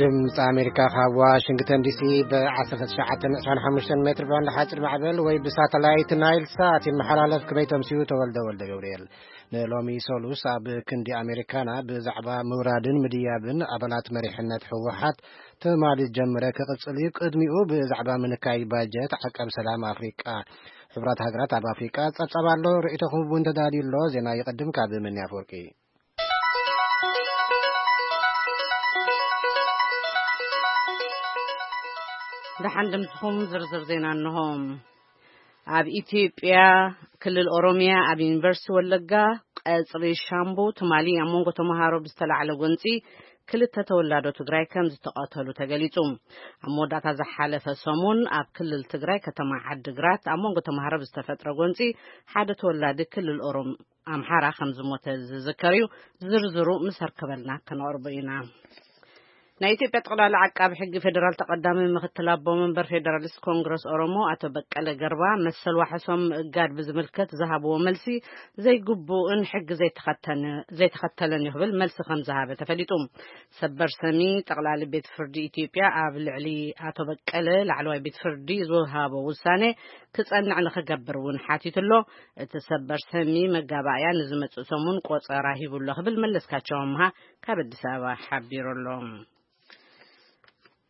ድምፂ ኣሜሪካ ካብ ዋሽንግተን ዲሲ ብ ዓሰርተ ትሽዓተ ነጥቢ ዕስራን ሓሙሽተን ሜትር ባንድ ሓፂር ማዕበል ወይ ብሳተላይት ናይል ሳት ይመሓላለፍ። ክበይቶም ሲዩ ተወልደ ወልደ ገብርኤል። ንሎሚ ሰሉስ ኣብ ክንዲ ኣሜሪካና ብዛዕባ ምውራድን ምድያብን ኣባላት መሪሕነት ህወሓት ትማሊ ዝጀመረ ክቕፅል እዩ። ቅድሚኡ ብዛዕባ ምንካይ ባጀት፣ ዓቀብ ሰላም ኣፍሪቃ፣ ሕቡራት ሃገራት ኣብ ኣፍሪቃ ጸብጻብ ኣሎ። ርእይቶኹም እውን ተዳልዩ ኣሎ። ዜና ይቕድም ካብ መኒ ኣፈወርቂ። ደሓን ድምፅኹም ዝርዝር ዜና እንሆ። ኣብ ኢትዮጵያ ክልል ኦሮሚያ ኣብ ዩኒቨርሲቲ ወለጋ ቀጽሪ ሻምቡ ትማሊ ኣብ መንጎ ተምሃሮ ብዝተላዕለ ጎንጺ ክልተ ተወላዶ ትግራይ ከም ዝተቐተሉ ተገሊጹ። ኣብ መወዳእታ ዝሓለፈ ሰሙን ኣብ ክልል ትግራይ ከተማ ዓድግራት ኣብ መንጎ ተምሃሮ ብዝተፈጥረ ጎንጺ ሓደ ተወላዲ ክልል ኦሮም ኣምሓራ ከም ዝሞተ ዝዝከር እዩ። ዝርዝሩ ምስ ኣርከበልና ከነቕርቦ ኢና። ናይ ኢትዮጵያ ጠቕላላ ዓቃቢ ሕጊ ፌዴራል ተቐዳሚ ምክትል ኣቦ መንበር ፌዴራሊስት ኮንግረስ ኦሮሞ ኣቶ በቀለ ገርባ መሰል ዋሕሶም ምእጋድ ብዝምልከት ዝሃብዎ መልሲ ዘይግቡእን ሕጊ ዘይተኸተነ-፣ ዘይተኸተለን እዩ ክብል መልሲ ከም ዝሃበ ተፈሊጡ። ሰበር ሰሚ ጠቕላሊ ቤት ፍርዲ ኢትዮጵያ ኣብ ልዕሊ ኣቶ በቀለ ላዕለዋይ ቤት ፍርዲ ዝወሃቦ ውሳኔ ክጸንዕ ንኽገብር እውን ሓቲቱ ኣሎ። እቲ ሰበር ሰሚ መጋባእያ ንዝመጽእ ሰሙን ቆጸራ ሂቡ ኣሎ ክብል መለስካቸው ኣምሃ ካብ ኣዲስ ኣበባ ሓቢሩ ኣሎ።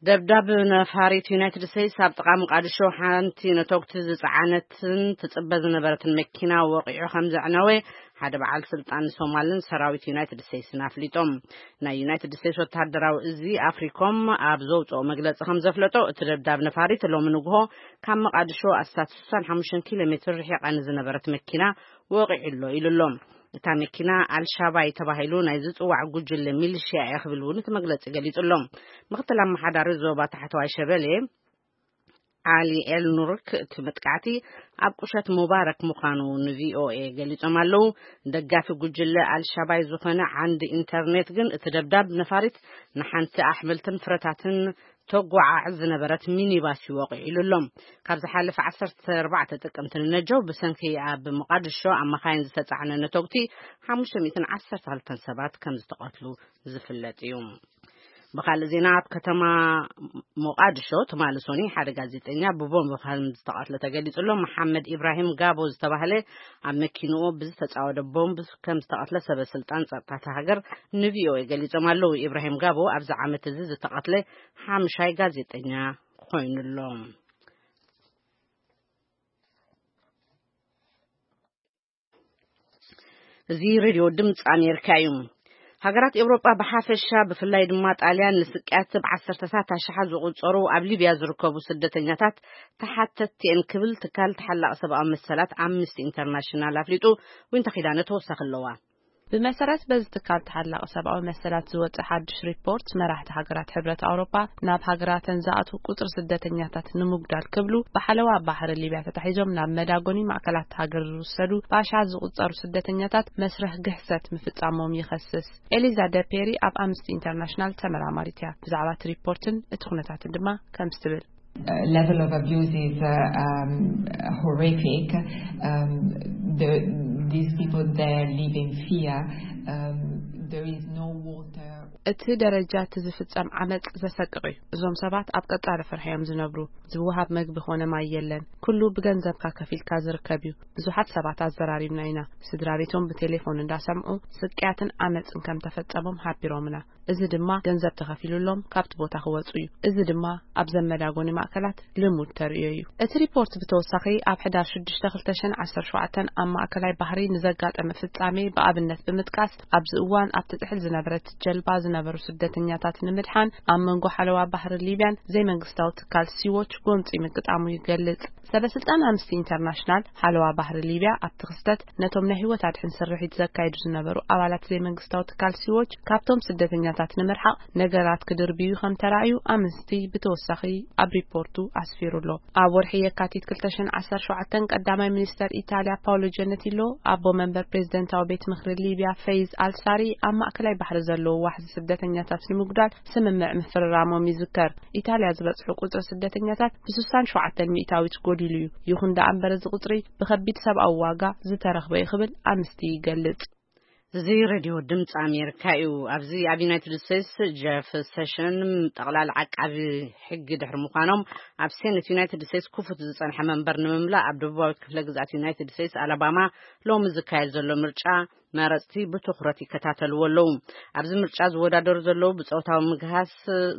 ደብዳብ ነፋሪት ዩናይትድ ስቴትስ ኣብ ጥቓ መቃድሾ ሓንቲ ነተጉቲ ዝጸዓነትን ትጽበ ዝነበረትን መኪና ወቒዑ ከም ዘዕነወ ሓደ በዓል ስልጣን ሶማልን ሰራዊት ዩናይትድ ስቴትስን ኣፍሊጦም። ናይ ዩናይትድ ስቴትስ ወተሃደራዊ እዚ ኣፍሪኮም ኣብ ዘውፅኦ መግለፂ ከም ዘፍለጦ፣ እቲ ደብዳብ ነፋሪት ሎሚ ንግሆ ካብ መቃድሾ ኣስታት ስሳን ሓሙሽተን ኪሎ ሜትር ርሒቓ ንዝነበረት መኪና ወቒዑ ኣሎ ኢሉ ኣሎ። እታ መኪና ኣልሻባይ ተባሂሉ ናይ ዝፅዋዕ ጉጅለ ሚሊሽያ እያ ክብል እውን እቲ መግለፂ ገሊጹ ኣሎ። ምክትል ኣመሓዳሪ ዞባ ታሕተዋይ ሸበሌ ዓሊ ኤል ኑርክ፣ እቲ መጥቃዕቲ ኣብ ቁሸት ሙባረክ ምዃኑ ንቪኦኤ ገሊጾም ኣለዉ። ደጋፊ ጉጅለ ኣልሻባይ ዝኾነ ዓንዲ ኢንተርኔት ግን እቲ ደብዳብ ነፋሪት ንሓንቲ ኣሕምልትን ፍረታትን ተጓዓዕዝ ዝነበረት ሚኒባስ እዩ ወቒዑ ኢሉ ኣሎ። ካብ ዝሓለፈ ዓሰርተ ኣርባዕተ ጥቅምቲ ንነጀው ብሰንኪ ኣብ መቃድሾ ኣብ መኻይን ዝተጻዕነ ነተጉቲ ሓሙሽተ ሚእትን ዓሰርተ ክልተን ሰባት ከም ዝተቐትሉ ዝፍለጥ እዩ። ብኻልእ ዜና፣ ኣብ ከተማ ሞቃድሾ ትማሊ ሶኒ ሓደ ጋዜጠኛ ብቦምብ ከም ዝተቐትለ ተገሊጹ ኣሎ። መሓመድ ኢብራሂም ጋቦ ዝተባህለ ኣብ መኪንኡ ብዝተጻወደ ቦምብ ከም ዝተቐትለ ሰበ ስልጣን ጸጥታ እታ ሃገር ንቪኦኤ ገሊጾም ኣለዉ። ኢብራሂም ጋቦ ኣብዚ ዓመት እዚ ዝተቐትለ ሓምሻይ ጋዜጠኛ ኮይኑ ኣሎ። እዚ ሬድዮ ድምፂ ኣሜሪካ እዩ። ሃገራት ኤውሮጳ ብሓፈሻ፣ ብፍላይ ድማ ጣልያን፣ ንስቅያት ብዓሰርተታት ኣሽሓት ዝቑጸሩ ኣብ ሊብያ ዝርከቡ ስደተኛታት ተሓተትቲ እየን ክብል ትካል ተሓላቒ ሰብኣዊ መሰላት ኣምነስቲ ኢንተርናሽናል ኣፍሊጡ። ዊንታ ኪዳነ ተወሳኺ ኣለዋ። ብመሰረት በዚ ትካል ተሓላቒ ሰብኣዊ መሰላት ዝወጸ ሓድሽ ሪፖርት፣ መራሕቲ ሃገራት ሕብረት ኣውሮጳ ናብ ሃገራተን ዝኣትዉ ቁጽሪ ስደተኛታት ንምጉዳል ክብሉ ብሓለዋ ባሕሪ ሊብያ ተታሒዞም ናብ መዳጎኒ ማእከላት ሃገር ዝውሰዱ ብኣሽሓት ዝቑጸሩ ስደተኛታት መስርሕ ግሕሰት ምፍጻሞም ይኸስስ። ኤሊዛ ደፔሪ ኣብ ኣምነስቲ ኢንተርናሽናል ተመራማሪት እያ። ብዛዕባ እቲ ሪፖርትን እቲ ኩነታትን ድማ ከምዚ ትብል። Uh, level of abuse is uh, um, horrific. Um, the, these people there live in fear. Um, there is no water. እቲ ደረጃ እቲ ዝፍጸም ዓመጽ ዘሰቅቕ እዩ። እዞም ሰባት ኣብ ቀጻሊ ፍርሒ እዮም ዝነብሩ። ዝወሃብ መግቢ ኮነ ማይ የለን። ኩሉ ብገንዘብካ ከፊልካ ዝርከብ እዩ። ብዙሓት ሰባት ኣዘራሪብና ኢና። ስድራ ቤቶም ብቴሌፎን እንዳሰምዑ ስቅያትን ዓመጽን ከም ተፈጸሞም ሓቢሮምና። እዚ ድማ ገንዘብ ተኸፊሉሎም ካብቲ ቦታ ክወጹ እዩ። እዚ ድማ ኣብ ዘመዳጎኒ ማእከላት ልሙድ ተርእዮ እዩ። እቲ ሪፖርት ብተወሳኺ ኣብ ሕዳር ሽዱሽተ ክልተ ሽሕን ዓሰርተ ሸውዓተን ኣብ ማእከላይ ባሕሪ ንዘጋጠመ ፍጻሜ ብኣብነት ብምጥቃስ፣ ኣብዚ እዋን ኣብቲ ጥሕል ዝነበረት ጀልባ ዝነበሩ ስደተኛታት ንምድሓን ኣብ መንጎ ሓለዋ ባሕሪ ሊብያን ዘይመንግስታዊ ትካል ሲዎች ጎንጺ ምግጣሙ ይገልጽ። ሰበ ስልጣን ኣምነስቲ ኢንተርናሽናል ሓለዋ ባሕሪ ሊብያ ኣብቲ ክስተት ነቶም ናይ ህይወት ኣድሕን ስርሒት ዘካይዱ ዝነበሩ ኣባላት ዘይመንግስታዊ ትካል ሲዎች ካብቶም ስደተኛታት ንምርሓቕ ነገራት ክድርብዩ ከም ተራእዩ ኣምነስቲ ብተወሳኺ ኣብ ሪፖርቱ ኣስፊሩ ኣሎ። ኣብ ወርሒ የካቲት ክልተ ሽሕን ዓሰርተ ሸውዓተን ቀዳማይ ሚኒስተር ኢታልያ ፓውሎ ጀነቲሎ፣ ኣቦ መንበር ፕሬዝደንታዊ ቤት ምኽሪ ሊብያ ፈይዝ ኣልሳሪ፣ ኣብ ማእከላይ ባሕሪ ዘለዉ ዋሕዚ ስደተኛታት ንምጉዳል ስምምዕ ምፍርራሞም ይዝከር። ኢታልያ ዝበጽሑ ቁጽሪ ስደተኛታት ብስሳን ሸውዓተን ሚእታዊት ጎዲሉ እዩ። ይኹን ደኣ እምበር፣ እዚ ቁጽሪ ብኸቢድ ሰብኣዊ ዋጋ ዝተረኽበ እዩ ክብል ኣምነስቲ ይገልጽ። እዚ ሬድዮ ድምፂ ኣሜሪካ እዩ። ኣብዚ ኣብ ዩናይትድ ስቴትስ ጀፍ ሴሽን ጠቕላሊ ዓቃቢ ሕጊ ድሕሪ ምዃኖም፣ ኣብ ሴኔት ዩናይትድ ስቴትስ ክፉት ዝጸንሐ መንበር ንምምላእ ኣብ ደቡባዊ ክፍለ ግዝኣት ዩናይትድ ስቴትስ ኣላባማ ሎሚ ዝካየድ ዘሎ ምርጫ መረጽቲ ብትኹረት ይከታተልዎ ኣለዉ። ኣብዚ ምርጫ ዝወዳደሩ ዘለዉ ብጾታዊ ምግሃስ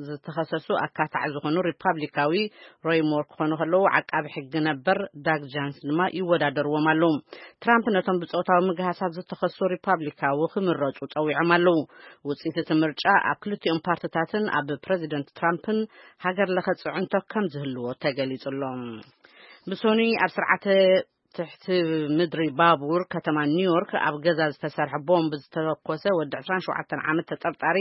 ዝተኸሰሱ ኣካታዕ ዝኾኑ ሪፓብሊካዊ ሮይ ሞር ክኾኑ ከለዉ፣ ዓቃቢ ሕጊ ነበር ዳግ ጃንስ ድማ ይወዳደርዎም ኣለዉ። ትራምፕ ነቶም ብጾታዊ ምግሃሳት ዝተኸሱ ሪፓብሊካዊ ክምረጹ ጸዊዖም ኣለዉ። ውጽኢት እቲ ምርጫ ኣብ ክልቲኦም ፓርትታትን ኣብ ፕረዚደንት ትራምፕን ሃገር ለኸ ጽዕንቶ ከም ዝህልዎ ተገሊጹ ኣሎ። ብሶኑይ ኣብ ስርዓተ ትሕቲ ምድሪ ባቡር ከተማ ኒውዮርክ ኣብ ገዛ ዝተሰርሐ ቦምብ ዝተተኮሰ ወዲ ዕስራን ሸውዓተን ዓመት ተጠርጣሪ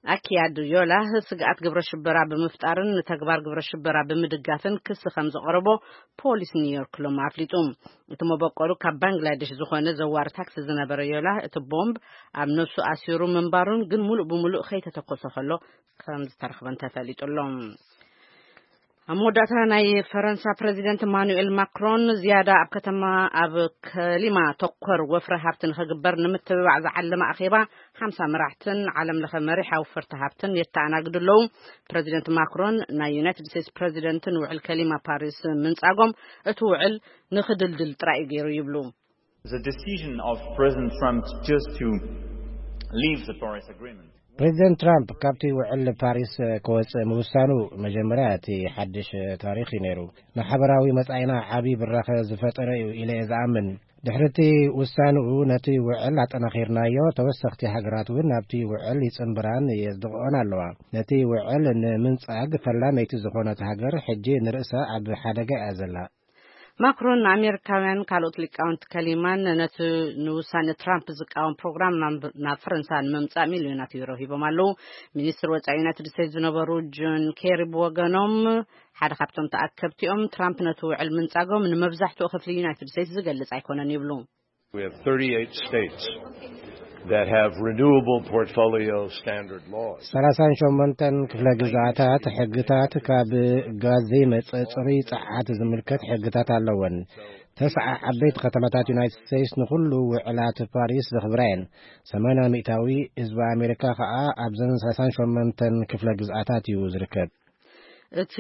ኣኪያድ ዮላ ስግኣት ግብረ ሽበራ ብምፍጣርን ንተግባር ግብረ ሽበራ ብምድጋፍን ክሲ ከም ዘቕረቦ ፖሊስ ኒውዮርክ ሎም ኣፍሊጡ። እቲ መበቆሉ ካብ ባንግላዴሽ ዝኾነ ዘዋሪ ታክሲ ዝነበረ ዮላ፣ እቲ ቦምብ ኣብ ነፍሱ ኣሲሩ ምንባሩን ግን ሙሉእ ብሙሉእ ከይተተኮሰ ከሎ ከም ዝተረኽበን ተፈሊጡ ኣሎ። ኣብ መወዳእታ፣ ናይ ፈረንሳ ፕረዚደንት ኢማኑኤል ማክሮን ዝያዳ ኣብ ከተማ ኣብ ከሊማ ተኮር ወፍሪ ሃብቲ ንኸግበር ንምትብባዕ ዝዓለመ ኣኼባ ሓምሳ መራሕትን ዓለም ለኸ መሪሕ ኣውፈርቲ ሃብትን የተኣናግዱ ኣለዉ። ፕረዚደንት ማክሮን ናይ ዩናይትድ ስቴትስ ፕረዚደንት ንውዕል ከሊማ ፓሪስ ምንጻጎም እቲ ውዕል ንኽድልድል ጥራይ እዩ ገይሩ ይብሉ። The decision of President Trump just to leave the Paris Agreement. ፕሬዚደንት ትራምፕ ካብቲ ውዕል ፓሪስ ክወጽእ ምውሳኑ መጀመርያ እቲ ሓድሽ ታሪኽ እዩ ነይሩ። ንሓበራዊ መጻኢና ዓቢ ብራኸ ዝፈጠረ እዩ ኢለ እየ ዝኣምን። ድሕሪ እቲ ውሳንኡ ነቲ ውዕል ኣጠናኺርናዮ፣ ተወሰኽቲ ሃገራት እውን ናብቲ ውዕል ይጽንብራን የጽድቕኦን ኣለዋ። ነቲ ውዕል ንምንጻግ ፈላመይቲ ዝኾነት ሃገር ሕጂ ንርእሳ ኣብ ሓደጋ እያ ዘላ። ማክሮን ንኣሜሪካውያን ካልኦት ሊቃውንቲ ከሊማን ነቲ ንውሳኔ ትራምፕ ዝቃወም ፕሮግራም ናብ ናብ ፈረንሳ ንምምጻእ ሚልዮናት ዩሮ ሂቦም ኣለዉ። ሚኒስትር ወጻኢ ዩናይትድ ስቴትስ ዝነበሩ ጆን ኬሪ ብወገኖም ሓደ ካብቶም ተኣከብቲኦም ትራምፕ ነቲ ውዕል ምንጻጎም ንመብዛሕትኡ ክፍሊ ዩናይትድ ስቴትስ ዝገልጽ ኣይኮነን ይብሉ። We have thirty-eight states that have renewable portfolio standard laws. ሰላሳን ሸሞንተን ክፍለ ግዝኣታት ሕግታት ካብ ጋዝ ዘይመጽእ ጽሩይ ጸዓት ዝምልከት ሕግታት ኣለወን። ተስዓ ዓበይቲ ከተማታት ዩናይትድ ስቴትስ ንኹሉ ውዕላት ፓሪስ ዘኽብራ እየን። ሰማንያ ሚእታዊ ህዝቢ ኣሜሪካ ከኣ ኣብዘን ሰላሳን ሸሞንተን ክፍለ ግዝኣታት እዩ ዝርከብ። እቲ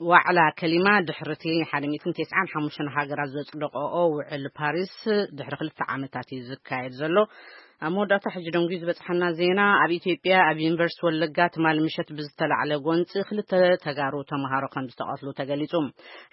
ዋዕላ ከሊማ ድሕርቲ ሓደ ሚእትን ተስዓን ሓሙሽተን ሃገራት ዘጽደቀኦ ውዕል ፓሪስ ድሕሪ ክልተ ዓመታት እዩ ዝካየድ ዘሎ። ኣብ መወዳእታ ሕጂ ደንጉዩ ዝበጽሓና ዜና፣ ኣብ ኢትዮጵያ ኣብ ዩኒቨርሲቲ ወለጋ ትማሊ ምሸት ብዝተላዕለ ጎንጺ ክልተ ተጋሩ ተምሃሮ ከም ዝተቐትሉ ተገሊጹ።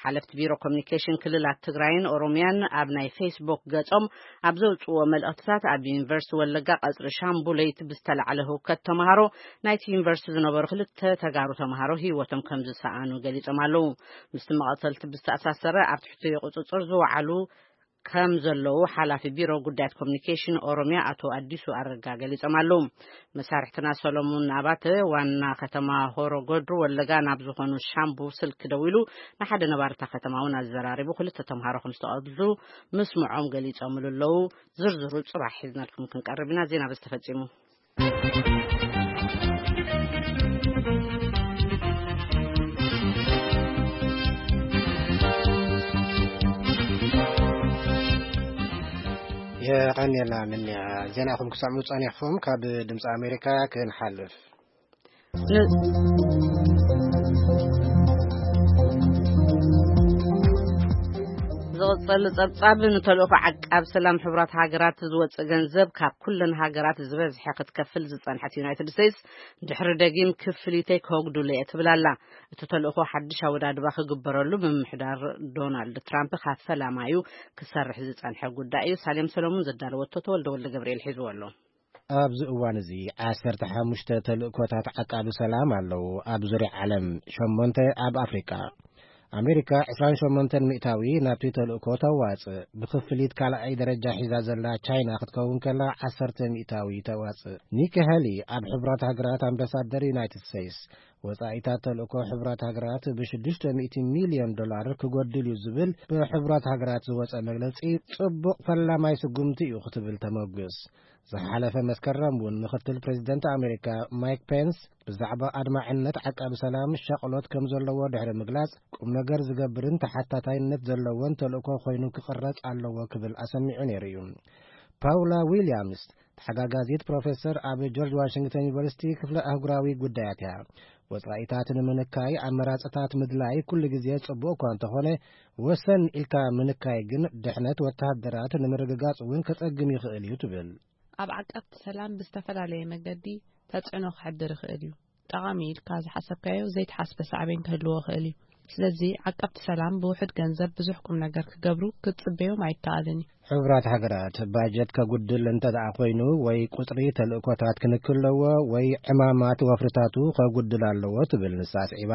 ሓለፍቲ ቢሮ ኮሚኒኬሽን ክልላት ትግራይን ኦሮሚያን ኣብ ናይ ፌስቡክ ገጾም ኣብ ዘውጽዎ መልእኽትታት፣ ኣብ ዩኒቨርሲቲ ወለጋ ቀጽሪ ሻምቡ ለይቲ ብዝተላዕለ ህውከት ተምሃሮ ናይቲ ዩኒቨርሲቲ ዝነበሩ ክልተ ተጋሩ ተምሃሮ ህይወቶም ከም ዝሰኣኑ ገሊጾም ኣለዉ። ምስቲ መቐተልቲ ብዝተኣሳሰረ ኣብ ትሕቲ ቁጽጽር ዝወዓሉ ከም ዘለዉ ሓላፊ ቢሮ ጉዳያት ኮሚኒኬሽን ኦሮሚያ ኣቶ ኣዲሱ ኣረጋ ገሊጾም ኣለዉ። መሳርሕትና ሰሎሙን ኣባተ ዋና ከተማ ሆሮ ጎድሩ ወለጋ ናብ ዝኾኑ ሻምቡ ስልክ ደዊሉ ንሓደ ነባርታ ከተማ እውን ኣዘራሪቡ ክልተ ተምሃሮ ከም ዝተቐትሉ ምስምዖም ገሊጾምሉ ኣለዉ። ዝርዝሩ ጽባሕ ሒዝናልኩም ክንቀርብ ኢና። ዜና በዚ ተፈጺሙ። የቐንየልና ምንያ። ዜናኹም ክሰምዑ ጸኒሕኩም ካብ ድምፂ ኣሜሪካ ክንሓልፍ። ን-፣ ዝቕጽል ጸብጻብ፣ ንተልእኾ ዓቃብ ሰላም ሕቡራት ሃገራት ዝወጽእ ገንዘብ ካብ ኩለን ሃገራት ዝበዝሐ ክትከፍል ዝጸንሐት ዩናይትድ ስቴትስ፣ ድሕሪ ደጊም ክፍሊተይ ከወግዱለየ ትብል ኣላ። እቲ ተልእኾ ሓድሽ ኣወዳድባ ክግበረሉ ምምሕዳር ዶናልድ ትራምፕ ካብ ፈላማዩ ክሰርሕ ዝጸንሐ ጉዳይ እዩ። ሳሌም ሰሎሙን ዘዳለወቶ ተወልደ ወልደ ገብርኤል ሒዝዎ ኣሎ። ኣብዚ እዋን እዚ ዓሰርተ ሓሙሽተ ተልእኮታት ዓቃቢ ሰላም ኣለዉ ኣብ ዙርያ ዓለም፣ ሸሞንተ ኣብ ኣፍሪቃ። ኣሜሪካ ዕስራን ሸሞንተን ሚእታዊ ናብቲ ተልእኮ ተዋጽእ። ብክፍሊት ካልኣይ ደረጃ ሒዛ ዘላ ቻይና ክትከውን ከላ ዓሰርተ ሚእታዊ ተዋጽእ። ኒኪ ሄሊ ኣብ ሕቡራት ሃገራት ኣምባሳደር ዩናይትድ ስቴትስ፣ ወጻኢታት ተልእኮ ሕቡራት ሃገራት ብሽዱሽተ ሚእቲ ሚልዮን ዶላር ክጎድል እዩ ዝብል ብሕቡራት ሃገራት ዝወጸ መግለጺ ጽቡቕ ፈላማይ ስጉምቲ እዩ ክትብል ተመጉስ። ዝሓለፈ መስከረም እውን ምክትል ፕሬዚደንት ኣሜሪካ ማይክ ፔንስ ብዛዕባ ኣድማዕነት ዓቃቢ ሰላም ሻቕሎት ከም ዘለዎ ድሕሪ ምግላጽ፣ ቁም ነገር ዝገብርን ተሓታታይነት ዘለዎን ተልእኮ ኮይኑ ክቕረጽ ኣለዎ ክብል ኣሰሚዑ ነይሩ እዩ። ፓውላ ዊልያምስ ተሓጋጋዚት ፕሮፌሰር ኣብ ጆርጅ ዋሽንግተን ዩኒቨርሲቲ ክፍለ ኣህጉራዊ ጉዳያት እያ። ወጻኢታት ንምንካይ ኣመራጽታት ምድላይ ኩሉ ግዜ ጽቡቕ እኳ እንተኾነ፣ ወሰን ኢልካ ምንካይ ግን ድሕነት ወተሃደራት ንምርግጋጽ እውን ከጸግም ይኽእል እዩ ትብል። ኣብ ዓቀብቲ ሰላም ብዝተፈላለየ መገዲ ተጽዕኖ ክሕድር ይኽእል እዩ። ጠቓሚ ኢልካ ዝሓሰብካዮ ዘይተሓስበ ሳዕቤን ክህልዎ ይኽእል እዩ። ስለዚ ዓቀብቲ ሰላም ብውሑድ ገንዘብ ብዙሕ ቁም ነገር ክገብሩ ክትጽበዮም ኣይከኣልን እዩ። ሕቡራት ሃገራት ባጀት ከጉድል እንተ ደኣ ኮይኑ፣ ወይ ቁጽሪ ተልእኮታት ክንክለዎ፣ ወይ ዕማማት ወፍርታቱ ከጉድል ኣለዎ ትብል ንሳ ኣስዒባ።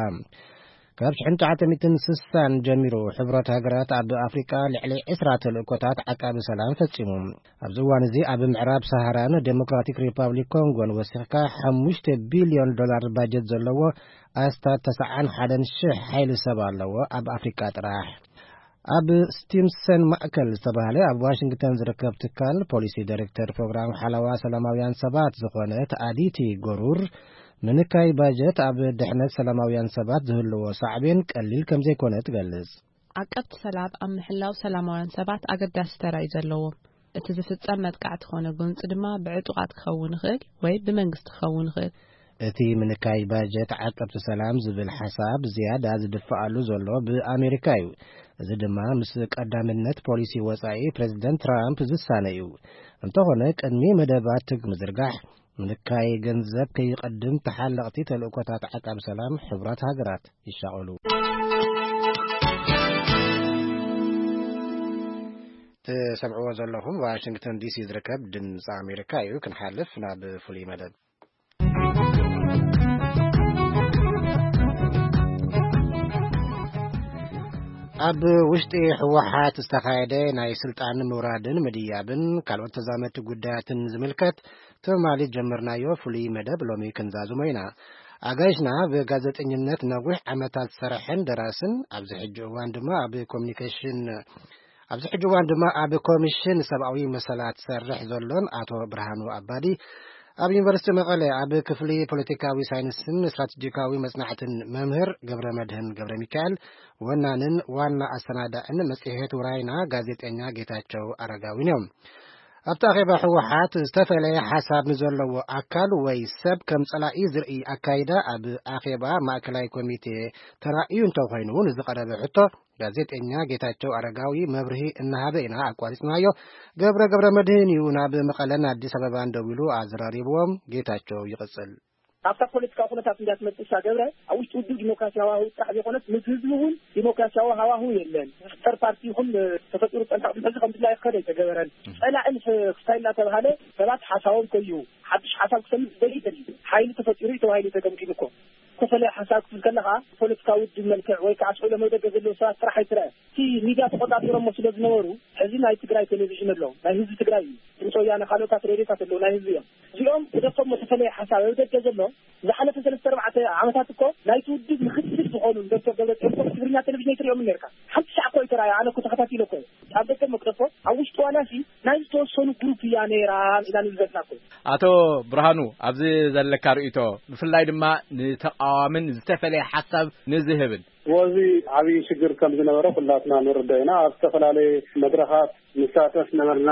ካብ ሽሕን ትሽዓተ ሚእትን ስሳን ጀሚሩ፣ ሕብረት ሃገራት ኣብ ኣፍሪቃ ልዕሊ ዕስራ ተልእኮታት ዓቃቢ ሰላም ፈጺሙ። ኣብዚ እዋን እዚ ኣብ ምዕራብ ሰሃራን ዴሞክራቲክ ሪፓብሊክ ኮንጎን ወሲኽካ ሓሙሽተ ቢልዮን ዶላር ባጀት ዘለዎ ኣስታት ተስዓን ሓደን ሽሕ ሓይሊ ሰብ ኣለዎ ኣብ ኣፍሪቃ ጥራሕ። ኣብ ስቲምሰን ማእከል ዝተባህለ ኣብ ዋሽንግተን ዝርከብ ትካል ፖሊሲ ዳይሬክተር ፕሮግራም ሓለዋ ሰላማውያን ሰባት ዝኾነት ኣዲቲ ጎሩር፣ ምንካይ ባጀት ኣብ ድሕነት ሰላማውያን ሰባት ዝህልዎ ሳዕቤን ቀሊል ከም ዘይኮነ ትገልጽ። ዓቀብቲ ሰላም ኣብ ምሕላው ሰላማውያን ሰባት ኣገዳሲ ተራ እዩ ዘለዎም። እቲ ዝፍጸም መጥቃዕቲ ኾነ ጎንጺ ድማ ብዕጡቓት ክኸውን ይኽእል ወይ ብመንግስቲ ክኸውን ይኽእል። እቲ ምንካይ ባጀት ዓቀብቲ ሰላም ዝብል ሓሳብ ዝያዳ ዝድፍኣሉ ዘሎ ብኣሜሪካ እዩ። እዚ ድማ ምስ ቀዳምነት ፖሊሲ ወጻኢ ፕሬዚደንት ትራምፕ ዝሳነ እዩ። እንተኾነ፣ ቅድሚ መደባት ትግ ምዝርጋሕ፣ ምንካይ ገንዘብ ከይቐድም ተሓለቕቲ ተልእኮታት ዓቃብ ሰላም ሕቡራት ሃገራት ይሻቐሉ። ትሰምዕዎ ዘለኹም ዋሽንግተን ዲሲ ዝርከብ ድምፂ ኣሜሪካ እዩ። ክንሓልፍ ናብ ፍሉይ መደብ። ኣብ ውሽጢ ህወሓት ዝተኻየደ ናይ ስልጣን ምውራድን ምድያብን ካልኦት ተዛመድቲ ጉዳያትን ዝምልከት ትማሊ ጀመርናዮ ፍሉይ መደብ ሎሚ ክንዛዝሞ ኢና። ኣጋይሽና ብጋዜጠኝነት ነዊሕ ዓመታት ዝሰርሐን ደራስን ኣብዚ ሕጂ እዋን ድማ ኣብ ኮሚኒኬሽን ኣብዚ ሕጂ እዋን ድማ ኣብ ኮሚሽን ሰብኣዊ መሰላት ዝሰርሕ ዘሎን ኣቶ ብርሃኑ ኣባዲ፣ ኣብ ዩኒቨርሲቲ መቐለ ኣብ ክፍሊ ፖለቲካዊ ሳይንስን ስትራቴጂካዊ መጽናዕትን መምህር ገብረ መድህን ገብረ ሚካኤል፣ ወናንን ዋና ኣሰናዳእን መጽሔት ውራይና ጋዜጠኛ ጌታቸው ኣረጋዊን እዮም። ኣብቲ ኣኼባ ህወሓት ዝተፈለየ ሓሳብ ንዘለዎ ኣካል ወይ ሰብ ከም ጸላኢ ዝርኢ ኣካይዳ ኣብ ኣኼባ ማእከላይ ኮሚቴ ተራእዩ እንተኾይኑ፣ ንዝቐረበ ሕቶ ጋዜጠኛ ጌታቸው ኣረጋዊ መብርሂ እናሃበ ኢና ኣቋሪጽናዮ። ገብረ ገብረ መድህን እዩ ናብ መቐለን ኣዲስ ኣበባን ደዊሉ ኣዘራሪብዎም። ጌታቸው ይቕጽል። ኣብታ ፖለቲካዊ ኩነታት እንዳ ትመጽእ እሳ ገብረ፣ ኣብ ውሽጢ ውድብ ዲሞክራሲያዊ ሃዋህው ጥራሕ ዘይኮነስ፣ ምስ ህዝቢ እውን ዲሞክራሲያዊ ሃዋህው የለን። ዝፍጠር ፓርቲ ይኹን ተፈጢሩ ጸንሐ ቅድሚ ሕዚ ከም ድላዩ ክኸደ ኣይተገበረን። ጸላኢ ምስ ክስታይ እናተባሃለ ሰባት ሓሳቦም ከይሁ ሓድሽ ሓሳብ ክሰምዕ ዝደሊ ይደሊ። ሓይሊ ተፈጢሩ እዩ ተባሂሉ ተገምጊሙ እኮ። ዝተፈለየ ሓሳብ ክትብል ከለኻ፣ ፖለቲካዊ ውድብ መልክዕ ወይ ከዓ ስእሎም ኣብ ደገ ዘለዉ ሰባት ጥራሕ ኣይትረአ። እቲ ሚድያ ተቆጻጺሮሞ ስለ ዝነበሩ፣ ሕዚ ናይ ትግራይ ቴሌቪዥን ኣሎ፣ ናይ ህዝቢ ትግራይ እዩ። ድምፂ ወያነ፣ ካልኦታት ሬድዮታት ኣለዉ፣ ናይ ህዝቢ እዮም። እዚኦም ክደፎም ዝተፈለየ ሓሳብ ኣብ ደገ ዘሎ፣ ዝሓለፈ ሰለስተ ኣርባዕተ ዓመታት እኮ ናይቲ ውድብ ምክትል ዝኾኑ ዶክተር ደብረፅዮን እኮ ትግርኛ ቴሌቪዥን ኣይትሪኦምን ነርካ። ሓንቲ ሻዕ እኮ ኣይተራእዩ፣ ኣነ እኮ ተኸታቲለ እኮ እየ። ኣብ ደገ መቅደፎ፣ ኣብ ውሽጢ ዋላሲ ናይ ዝተወሰኑ ግሩፕ እያ ነይራ ኢና ንብለካ እኮ። ኣቶ ብርሃኑ፣ ኣብዚ ዘለካ ርእይቶ፣ ብፍላይ ድማ ንተቃዋምን ዝተፈለየ ሓሳብ ንዝህብን? እዚ ዓብዪ ሽግር ከም ዝነበረ ኩላትና ንርዶ ኢና። ኣብ ዝተፈላለየ መድረኻት ንሳተፍ ነበርና።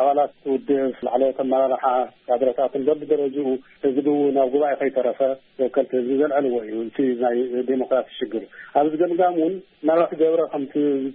ኣባላት ውድብ፣ ላዕለዎት ኣመራርሓ፣ ካድረታትን በብደረጅኡ ህዝቢ እውን ኣብ ጉባኤ ከይተረፈ ወከልቲ ህዝቢ ዘልዐልዎ እዩ። እቲ ናይ ዴሞክራሲ ሽግር ኣብዚ ገምጋም እውን ምናልባት ገብረ ከምቲ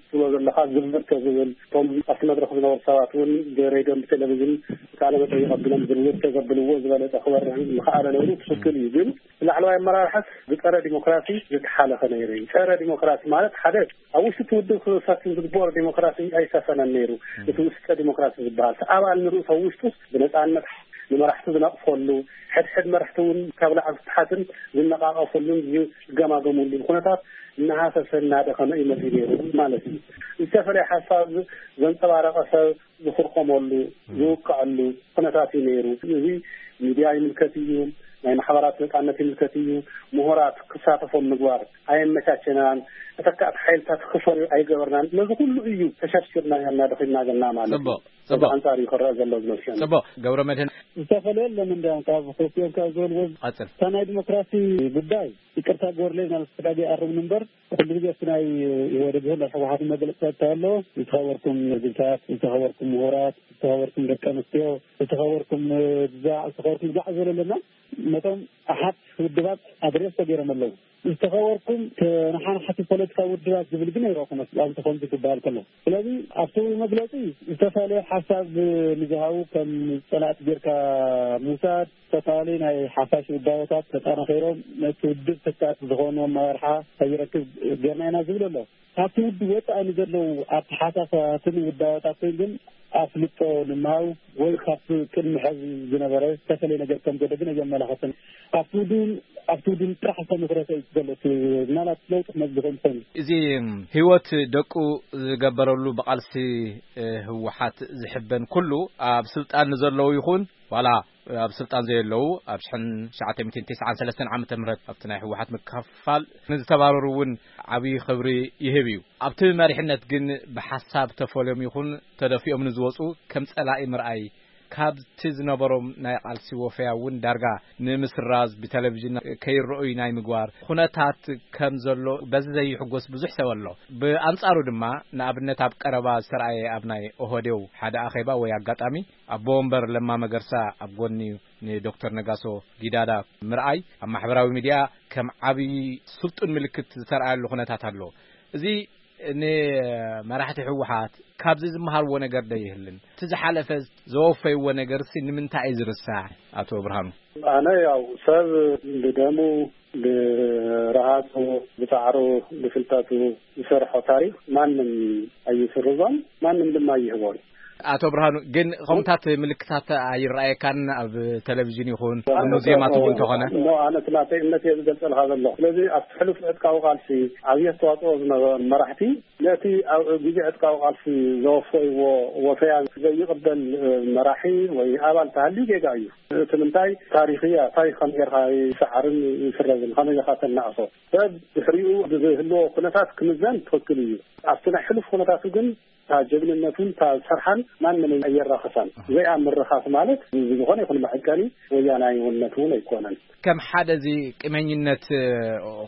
ትብሎ ዘለኻ ግብር ተዝብል፣ እቶም ኣብቲ መድረኽ ዝነበሩ ሰባት እውን ብሬድዮን ብቴሌቪዥን ቃለ መጠይቕ ኣቢሎም ግብር ተዘብልዎ ዝበለጸ ክበርህ ምኽኣለ ነይሩ። ትኽክል እዩ። ግን ላዕለዋይ ኣመራርሓስ ብጸረ ዲሞክራሲ ዝተሓለኸ ነይሩ እዩ። ጸረ ዲሞክራሲ ማለት ሓደ ኣብ ውሽጢ እቲ ውድብ ክሰፍን ዝግበኦ ዲሞክራሲ ኣይሰፈነን ነይሩ። እቲ ውስጠ ዲሞክራሲ ዝበሃል እቲ ኣባል ንርእሱ ኣብ ውሽጡስ ብነጻነት ንመራሕቲ ዝነቕፈሉ፣ ሕድሕድ መራሕቲ እውን ካብ ላዕሊ ታሕትን ዝነቓቐፈሉን ዝገማገሙሉን ኩነታት እናሃሰሰ እናደኸመ እዩ መፂኡ ነይሩ ማለት እዩ። ዝተፈለየ ሓሳብ ዘንፀባረቐ ሰብ ዝኽርኸመሉ፣ ዝውቃዐሉ ኩነታት እዩ ነይሩ። እዚ ሚድያ ይምልከት እዩ፣ ናይ ማሕበራት ነጻነት ይምልከት እዩ። ምሁራት ክሳተፎም ምግባር ኣየመቻቸናን፣ ተተካእቲ ሓይልታት ክፈርዩ ኣይገበርናን። ነዚ ኩሉ እዩ ተሸርሽርና ያና ደኺልና ዘለና ማለት እዩ። ጽቡቕ፣ ጽቡቕ። ኣንጻር እዩ ክረአ ዘሎ ዝመስለኒ። ጽቡቕ፣ ገብረ መድህን። ዝተፈለየ የለን እንዲያውም ካብ ክልቲኦም ካብ ዝበልዎ ቀጽል። እታ ናይ ዲሞክራሲ ጉዳይ ይቅርታ ግበርለይ፣ ናብ ተጋጊ ኣርምኒ እምበር፣ ኩሉ ግዜ እቲ ናይ ኢህወዴግ ይኹን ናይ ህወሓት መግለፂ እንታይ ኣሎ? ዝተኸበርኩም ህዝብታት፣ ዝተኸበርኩም ምሁራት፣ ዝተኸበርኩም ደቂ ኣንስትዮ፣ ዝተኸበርኩም ብዛዕ፣ ዝተኸበርኩም ብዛዕ ዝበለለና፣ ነቶም ኣሓት ውድባት ኣድሬስ ተገይሮም ኣለዉ። ዝተኸበርኩም ተነሓናሕቲ ፖለቲካዊ ውድባት ዝብል ግን ኣይረኹን። ኣብቲ ከምዚ ክበሃል ከሎ፣ ስለዚ ኣብቲ መግለፂ ዝተፈላለየ ሓሳብ ንዝሃቡ ከም ፀላእቲ ጌርካ ምውሳድ፣ ዝተፈላለዩ ናይ ሓፋሽ ውዳበታት ተጠናኺሮም ነቲ ውድብ ተካእቲ ዝኾኑ ኣመራርሓ ከይረክብ ጌርና ኢና ዝብል ኣሎ። ካብቲ ውድብ ወፃኢ ንዘለዉ ኣተሓሳስባትን ውዳበታትን ግን ኣፍልጦ ንምሃብ ወይ ካብቲ ቅድሚ ሕዚ ዝነበረ ዝተፈለየ ነገር ከም ዘሎ ግን ኣየመላኸተን። ኣብቲ ውድብ ኣብቲ ውድብ ጥራሕ ዝተመስረተ እዩ ዘሎ። እቲ ምናልባት ለውጢ ክመፅእ ዝኽእል እንተኾይኑ። እዚ ህይወት ደቁ ዝገበረሉ ብቓልሲ፣ እ፣ ህወሓት ዝሕበን ኩሉ ኣብ ስልጣን ንዘለዉ ይኹን ዋላ ኣብ ስልጣን ዘየለዉ ኣብ ሽሕን ትሽዓተ ሚእትን ተስዓን ሰለስተን ዓመተ ምህረት ኣብቲ ናይ ህወሓት ምክፍፋል ንዝተባረሩ እውን ዓብዪ ክብሪ ይህብ እዩ። ኣብቲ መሪሕነት ግን ብሓሳብ ተፈልዮም ይኹን ተደፊኦም ንዝወፁ ከም ጸላኢ ምርኣይ ካብቲ ዝነበሮም ናይ ቃልሲ ወፈያ እውን ዳርጋ ንምስራዝ ብቴሌቪዥን ከይረኣዩ ናይ ምግባር ኩነታት ከም ዘሎ በዚ ዘይሕጎስ ብዙሕ ሰብ ኣሎ። ብኣንጻሩ ድማ ንኣብነት ኣብ ቀረባ ዝተረኣየ ኣብ ናይ ኦህዴው ሓደ ኣኼባ ወይ ኣጋጣሚ ኣቦ ወንበር ለማ መገርሳ ኣብ ጎኒ ንዶክተር ነጋሶ ጊዳዳ ምርኣይ ኣብ ማሕበራዊ ሚድያ ከም ዓብዪ ስልጡን ምልክት ዝተረኣየሉ ኩነታት ኣሎ። እዚ ንመራሕቲ ህወሓት ካብዚ ዝመሃርዎ ነገር ዶ ይህልን? እቲ ዝሓለፈ ዘወፈይዎ ነገርሲ ንምንታይ እዩ ዝርሳዕ? ኣቶ ብርሃኑ። ኣነ ያው ሰብ ብደሙ፣ ብረሃጹ፣ ብጻዕሩ፣ ብፍልጠቱ ዝሰርሖ ታሪኽ ማንም ኣይስርዞን፣ ማንም ድማ ኣይህቦን። ኣቶ ብርሃኑ፣ ግን ከምታት ምልክታት ኣይረኣየካን? ኣብ ቴሌቪዥን ይኹን ኣብ ሙዚየማት እውን እንተኾነ? እሞ ኣነ እቲ ናተይ እምነት እየ ዝገልጸልካ ዘለኹ። ስለዚ ኣብቲ ሕሉፍ ዕጥቃዊ ቃልሲ ዓብዪ ኣስተዋጽኦ ዝነበሮም መራሕቲ ነቲ ኣብ ግዜ ዕጥቃዊ ቃልሲ ዘወፈይዎ ወፈያ ዘይቕበል፣ እ፣ መራሒ ወይ ኣባል ተሃልዩ ጌጋ እዩ። እቲ ምንታይ ታሪኽ እያ፣ ታሪኽ ከም ጌርካ ይሰዓርን ይስረዝን፣ ከመይ ጌርካ ተናእሶ? ሰብ ድሕሪኡ ብዝህልዎ ኩነታት ክምዘን ትኽክል እዩ። ኣብቲ ናይ ሕሉፍ ኩነታቱ ግን እታ ጀግንነቱን እታ ዝሰርሓን ማንም ኣየራኽሳን። እዚኣ ምርኻስ ማለት ብዝኾነ ይኹን መዐቀኒ ወያናይነት እውን ኣይኮነን። ከም ሓደ እዚ ቂመኝነት፣ እ፣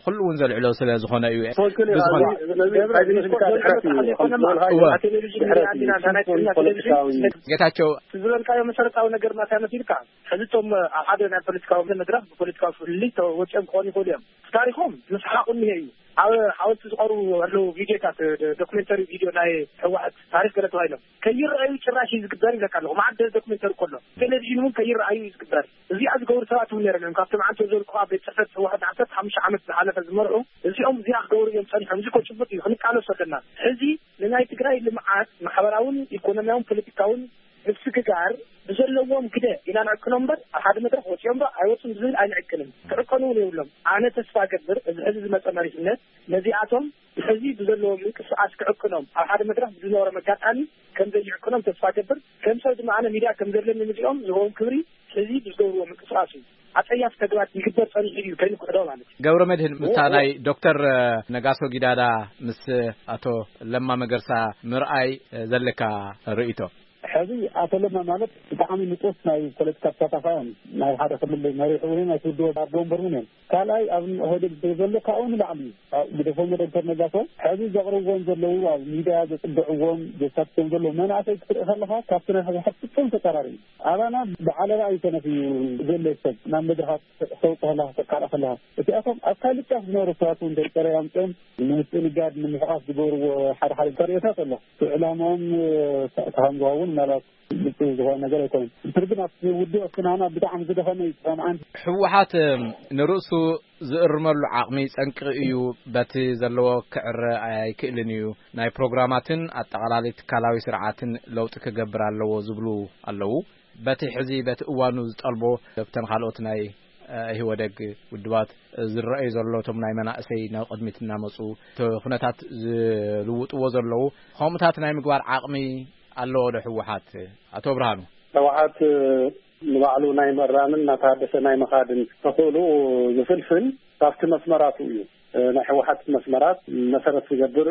ኩሉ እውን ዘልዕሎ ስለ ዝኾነ እዩ። ትኽክል እዩ። ትዝኾ-፣ ኣብዚ፣ ስለዚ ገብረ፣ ኣብዚ መስልካ ዲስኮርስ ድሕረት እዩ። ዘይኮነ ከም ዝበልካ እወ። እዩ። ቴሌቪዥን ድሕረት ሪኣ እዩ። ኢና፣ ናይ ስልጡን ትግርኛ ፖለቲካዊ ቴሌቪዥን። ጌታቸው። እቲ ዝበልካዮ መሰረታዊ ነገር ማትያ መሲልካ፣ ሕዚ እቶም ኣብ ሓደ ናይ ፖለቲካዊ መድረኽ ብፖለቲካዊ ፍልልይ ተወፂኦም ክኾኑ ይኽእሉ እዮም። ታሪኾም ምስሓቑ እኒሀ እዩ። ኣብ ሓወልቲ ዝቐርቡ ኣለዉ ቪድዮታት፣ ዶ-፣ ዶክሜንተሪ ቪድዮ ናይ ህወሓት ታሪኽ ገለ ተባሂሎም ከይረኣዩ ጭራሽ እዩ ዝግበር ይብለካ ኣለኹ። መዓት ዶክሜንተሪ ከሎ ቴሌቪዥን እውን ከይረኣዩ እዩ ዝግበር። እዚኣ ዝገብሩ ሰባት እውን ነይሮም እዮም። ካብቶም ዓንቶ ዘልኩ ኣብ ቤት ጽሕፈት ህወሓት ዓሰርተ ሓሙሽተ ዓመት ዝሓለፈ ዝመርሑ እዚኦም እዚኣ ክገብሩ እዮም ጸኒሖም። እዚ እኮ ጭቡጥ እዩ፣ ክንቃለሶ ኣለና። ሕዚ ንናይ ትግራይ ልምዓት ማሕበራውን ኢኮኖሚያውን ፖለቲካውን ምስግጋር ብዘለዎም ግደ ኢና ንዕቅኖም እምበር፣ ኣብ ሓደ መድረኽ ወፂኦም ዶ ኣይወፁን ብዝብል ኣይንዕቅንን። ክዕቀኑ እውን የብሎም። ኣነ ተስፋ ገብር፣ እዚ ሕዚ ዝመፀ መሪሕነት ነዚኣቶም ሕዚ ብዘለዎም ምንቅስቃስ ክዕቅኖም፣ ኣብ ሓደ መድረኽ ብዝነበሮም ኣጋጣሚ ከም ዘይዕቅኖም ተስፋ ገብር። ከም ሰብ ድማ ኣነ ሚድያ ከም ዘለኒ ንዚኦም ዝህቦም ክብሪ ሕዚ ብዝገብርዎ ምንቅስቃስ እዩ። ኣፀያፊ ተግባር ይግበር ፀኒሑ እዩ ከይንክሕዶ ማለት እዩ። ገብረ መድህን፣ ምስታ እዎ፣ እዎ። ናይ ዶክተር ነጋሶ ጊዳዳ ምስ ኣቶ ለማ መገርሳ ምርኣይ ዘለካ ርእይቶ? ሕዚ ኣቶ ለማ ማለት ብጣዕሚ ንጡፍ ናይ ፖለቲካ ተሳታፋይ እዮም። ናይ ሓደ ክልል መሪሕ እውን ናይ ትውድቦ ኣቦ ወንበር እውን እዮም። ካልኣይ ኣብ ኦህዴድ ዘሎ ካብኡ ንላዕሊ እዩ። ኣብ ግደፎም ዶክተር ነጋሶ ሕዚ ዘቕርብዎም ዘለዉ ኣብ ሚድያ ዘጽድዕዎም ዘሳትፎም ዘለዉ መናእሰይ ክትርኢ ከለኻ ካብቲ ናይ ህወሓት ፍጹም ተጻራሪ እዩ። ኣባና ብዓለባ እዩ ተነፊዩ ዘሎ ሰብ ናብ መድረኻት ተውጽእ ከለኻ ተቃልዕ ከለኻ እቲኣቶም ኣብ ካልእ ጫፍ ዝነበሩ ሰባት እውን ደርቀረ ኣምጽኦም ንምስጥንጋድ ንምሕቓፍ ዝገብርዎ ሓደ ሓደ ተርእዮታት ኣሎ። እቲ ዕላማኦም ተሃንጓውን ምናልባት ግልፂ ዝኾነ ነገር ኣይኮነን። እንትን ግን ኣብቲ ውድብ ኣብቲ ናና ብጣዕሚ ዝደኸመ እዩ። ሰማዓን ህወሓት ንርእሱ ዝእርመሉ ዓቕሚ ጸንቂ እዩ። በቲ ዘለዎ ክዕረ ኣይክእልን እዩ። ናይ ፕሮግራማትን ኣጠቓላሊ ትካላዊ ስርዓትን ለውጢ ክገብር ኣለዎ ዝብሉ ኣለዉ። በቲ ሕዚ በቲ እዋኑ ዝጠልቦ ኣብተን ካልኦት ናይ፣ እ፣ ኢህወደግ ውድባት ዝረኣዩ ዘሎ እቶም ናይ መናእሰይ ናብ ቅድሚት እናመፁ እቲ ኩነታት ዝልውጥዎ ዘለዉ ከምኡታት ናይ ምግባር ዓቕሚ ኣለዎ ዶ ህወሓት? ኣቶ ብርሃኑ። ህወሓት ንባዕሉ ናይ ምእራምን እናተሃደሰ ናይ ምኻድን ተኽእሎ ዝፍልፍል ካብቲ መስመራቱ እዩ። ናይ ህወሓት መስመራት መሰረት ዝገብር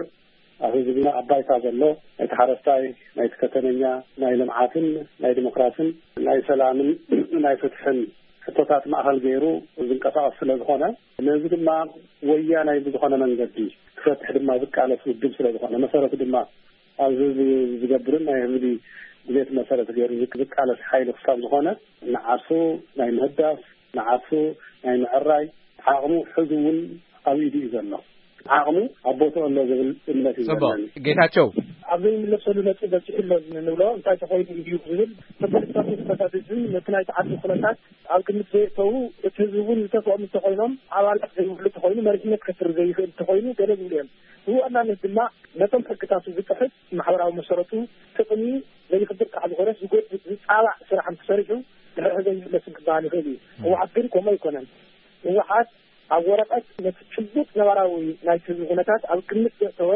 ኣብ ህዝብና ኣብ ባይታ ዘሎ ናይቲ ሓረስታይ፣ ናይቲ ከተመኛ፣ ናይ ልምዓትን ናይ ዲሞክራስን ናይ ሰላምን ናይ ፍትሕን ሕቶታት ማእኸል ገይሩ ዝንቀሳቐስ ስለ ዝኾነ፣ ነዚ ድማ ወያናይ ብዝኾነ መንገዲ ክፈትሕ ድማ ዝቃለስ ውድብ ስለ ዝኾነ፣ መሰረቱ ድማ ኣብዚ ዝገብርን ናይ ህዝቢ ድሌት መሰረት ገይሩ ዝቃለስ ሓይሊ ክሳብ ዝኾነ፣ ንዓርሱ ናይ ምህዳስ፣ ንዓርሱ ናይ ምዕራይ ዓቕሙ ሕዚ እውን ኣብ ኢዱ እዩ ዘሎ። ዓቕሙ ኣብ ቦትኡ ኣሎ ዝብል እምነት እዩ ጽቡቕ። ዘለኒ። ጌታቸው። ኣብ ዘይምለሰሉ ነጥቢ በጺሑ ኣሎ ንብሎ እንታይ ተኾይኑ እዩ ዝብል ተፈለጥታቱ ኩነታት ህዝቢ ነቲ ናይ ተዓዲ ኩነታት ኣብ ግምት ዘየእተዉ፣ እቲ ህዝቢ እውን ዝተስኦም እንተኾይኖም ኣባላት ዘይብሉ እንተኾይኑ መሪሕነት ከስር ዘይኽእል እንተኾይኑ ገለ ዝብሉ እዮም። ብዋናነት ድማ ነቶም ሕግታቱ ዝጥሕስ ማሕበራዊ መሰረቱ ጥቕሚ ዘይኽብር ጥራሕ ዝኾነስ ዝጎድእ ዝጻባዕ ስራሕ እንተሰሪሑ ድሕሪ ሕዘ ይምለስን ክበሃል ይኽእል እዩ። ህወሓት ግን ከምኡ ኣይኮነን። ህወሓት ኣብ ወረቐት ነቲ ጭቡጥ ነባራዊ ናይቲ ህዝቢ ኩነታት ኣብ ግምት ዘእተወ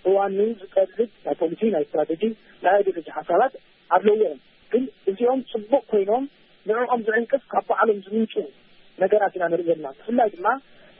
እዋኑ ዝጠልብ ናይ ፖሊሲ፣ ናይ ስትራተጂ፣ ናይ ኣይዲዮሎጂ ሓሳባት ኣለዎ እዮም። ግን እዚኦም ጽቡቕ ኮይኖም ንዕኦም ዝዕንቅፍ ካብ ባዕሎም ዝምንጩ ነገራት ኢና ንርኢ ዘለና። ብፍላይ ድማ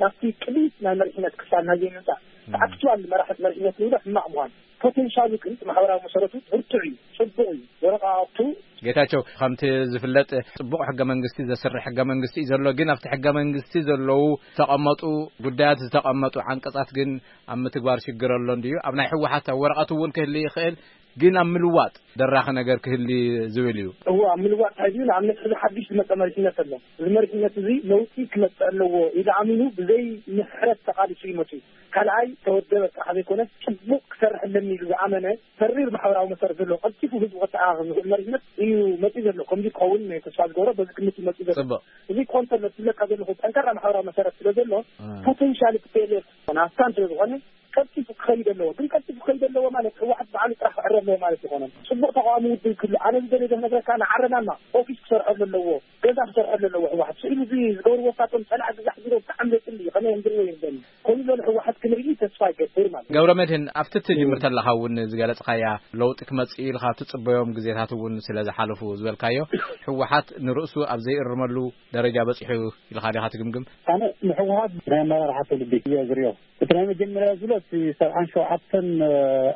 ናብቲ ቅድሚት ናይ መሪሕነት ክፋል ናይ ዘይምምጻእ ተኣክትዋል መራሕት መሪሕነት ንብሎ ሕማቕ ምዃን ፖቴንሻሉ ግን ማሕበራዊ መሰረቱ ብርቱዕ እዩ፣ ጽቡቕ እዩ። ወረቓቕቱ ጌታቸው፣ ከምቲ ዝፍለጥ ጽቡቕ ሕገ መንግስቲ ዘስርሕ ሕገ መንግስቲ እዩ ዘሎ። ግን ኣብቲ ሕገ መንግስቲ ዘለዉ ዝተቐመጡ ጉዳያት፣ ዝተቐመጡ ዓንቀጻት ግን ኣብ ምትግባር ሽግር ኣሎ እንድዩ። ኣብ ናይ ህወሓት ኣብ ወረቐት እውን ክህሊ ይኽእል፣ ግን ኣብ ምልዋጥ ደራኺ ነገር ክህሊ ዝብል እዩ። እዎ፣ ኣብ ምልዋጥ እንታይ ድዩ? ንኣብነት ሕዚ ሓድሽ ዝመጸ መሪሕነት ኣሎ። እዚ መሪሕነት እዚ ለውጢ ክመጽእ ኣለዎ ኢሉ ኣሚኑ ብዘይ ምሕረት ተቓሊሱ እዩ መጺኡ። ካልኣይ ተወደበ ጥራሕ ዘይኮነስ ጽቡቕ ክሰርሕ ኣለኒ ኢሉ ዝኣመነ ተሪር ማሕበራዊ መሰረት ዘለዎ ቀልጢፉ ህዝቡ ከተኣኻኽብ ዝኽእል መሪሕነት እዩ መጺኡ ዘሎ። ከምዚ ክኸውን ተስፋ ዝገብሮ በዚ ግምት እዩ መጺኡ ዘሎ። ጽቡቕ። እዚ ክኾን ከሎ ዝብለካ ዘለኹ ጠንካራ ማሕበራዊ መሰረት ስለ ዘሎ እ። ፖቴንሻል እቲ ፒ ኤል ኤፍ ናፍታን ስለ ዝኾነ ቀልጢፉ ክኸይድ ኣለዎ። ግን ቀልጢፉ ክኸይድ ኣለዎ ማለት ህወሓት ባዕሉ ጥራሕ ክዕረ ኣለዎ ማለት ይኾነን። ጽቡቕ ተቃዋሚ ውድብ ክህሉ ኣነ ዝደልዮ ዝነግረካ ንዓረና ማ ኦፊስ ክሰርሐሉ ኣለዎ፣ ገዛ ክሰርሐሉ ኣለዎ። ህወሓት ስኢሉ እዚ ዝገብርዎ ሳቶም ጸላእ ግዛዕ ዝሮ ብጣዕሚ ዘጽሊ ከመይ እንድርዎ ይርደኒ። ከምኡ ዝበለ ህወሓት ክንርኢ ተስፋ ይገብር ማለት እዩ። ገብረ መድህን፣ ኣብቲ ትጅምር ተለኻ እውን ዝገለጽካያ ለውጢ ክመጽእ ኢልካ ትጽበዮም ግዜታት እውን ስለ ዝሓለፉ ዝበልካዮ፣ ህወሓት ንርእሱ ኣብ ዘይእርመሉ ደረጃ በጺሑ ኢልካ ዲኻ ትግምግም? ኣነ ንህወሓት ናይ ኣመራርሓ ትውልዲ እየ ዝርእዮ። እቲ ናይ መጀመርያ ዝሎ እቲ ሰብዓን ሸውዓተን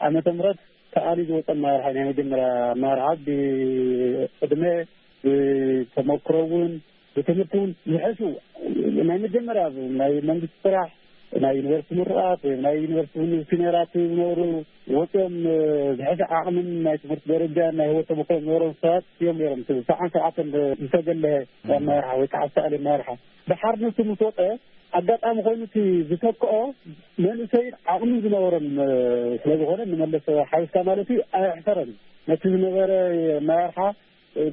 ዓመተ ምህረት ተኣልዩ ዝወፀ ኣመራርሓ እዩ። ናይ መጀመርያ ኣመራርሓ ብዕድመ፣ ብተመክሮ እውን፣ ብትምህርቲ እውን ዝሕሹ ናይ መጀመርያ ናይ መንግስቲ ስራሕ፣ ናይ ዩኒቨርሲቲ ምሩቓት ወይ ናይ ዩኒቨርሲቲ ሲኒየራት ዝነበሩ ወፂኦም ዝሕሸ ዓቕምን ናይ ትምህርቲ ደረጃ ናይ ህይወት ተመክሮ ዝነበሮም ሰባት እዮም ነይሮም። እቲ ሰብዓን ሸውዓተን ዝተገለሀ ኣመራርሓ ወይ ከዓ ዝተኣልየ ኣመራርሓ። ደሓር ንሱ ምስ ወፀ ኣጋጣሚ ኮይኑ እቲ ዝተክኦ መንእሰይን ዓቕምን ዝነበሮም ስለ ዝኾነ ንመለስ ሓዊስካ ማለት እዩ ኣየሕፈረን። ነቲ ዝነበረ ኣመራርሓ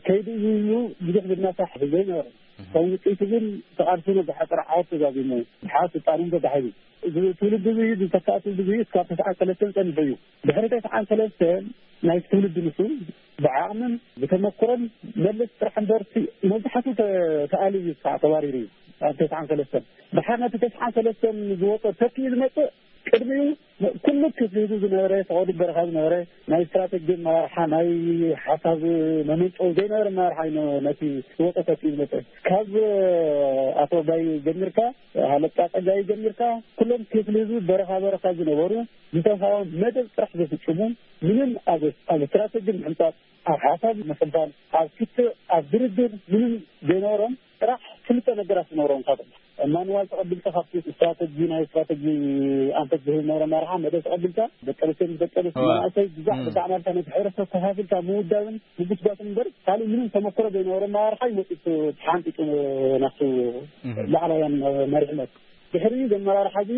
ከይዲ እዩ ኢሉ ብዙሕ ዝናሳሕ ዘይነበረ። ከም ውፅኢቱ ግን ተቓልሱን ብሓፂር ዓወት ተዛዚሙ ድሓር ስልጣኑ ተታሒዙ። እዚ ትውልዲ እዚ ዝተካእ ትውልዲ እዚ እስካብ ተስዓን ሰለስተን ፀኒሑ እዩ። ድሕሪ ተስዓን ሰለስተን ናይ ትውልዲ ንሱ ብዓቕምን ብተመክሮን መለስ ጥራሕ እምበር እቲ መብዛሕቱ ተ-፣ ተኣልዩ እዩ፣ ከዓ ተባሪሩ እዩ ኣብ ተስዓን ሰለስተን። ድሓር ነቲ ተስዓን ሰለስተን ዝወፀ ተኪኡ ዝመፅእ ቅድሚኡ ኩሉ ክፍሊ ህዝቢ ዝነበረ፣ ፈቐዱ በረኻ ዝነበረ፣ ናይ ስትራቴጂ ኣመራርሓ፣ ናይ ሓሳብ መመንጨዊ ዘይነበረ ኣመራርሓ እዩ ነ-፣ ነቲ ዝወፀ ተኪኡ ዝመፀ። ካብ ኣቶ ባይ ጀሚርካ፣ ሃለቃ ጸጋይ ጀሚርካ፣ ኩሎም ክፍሊ ህዝቢ በረኻ በረኻ ዝነበሩ፣ ዝተዋህቦም መደብ ጥራሕ ዝፍጽሙ፣ ምንም ኣብ፣ ኣብ ስትራቴጂ ምሕንጻጽ፣ ኣብ ሓሳብ ምፍልፋል፣ ኣብ ክትዕ፣ ኣብ ድርድር ምንም ዘይነበሮም፣ ጥራሕ ክልተ ነገራት ዝነበሮም። ካብ ማንዋል ተቐቢልካ፣ ካብቲ ስትራቴጂ፣ ናይ ስትራቴጂ ኣንፈት ዝህብ ዝነበረ ኣመራርሓ መደብ ተቐቢልካ፣ ደቂ ኣንስትዮ ምስ ደቂ ኣንስትዮ፣ እዋ። መናእሰይ ብዛዕ-፣ እም። ብዛዕባ ነቲ ሕብረተሰብ ከፋፊልካ ምውዳብን ምጉስጓስን እምበር፣ ካልእ ምንም ተመክሮ ዘይነበሮ ኣመራርሓ እዩ መጺኡ ተሓንጢጡ ናብቲ እህ። ላዕላውያን መሪሕነት። ድሕሪኡ ዘመራርሓ እዚ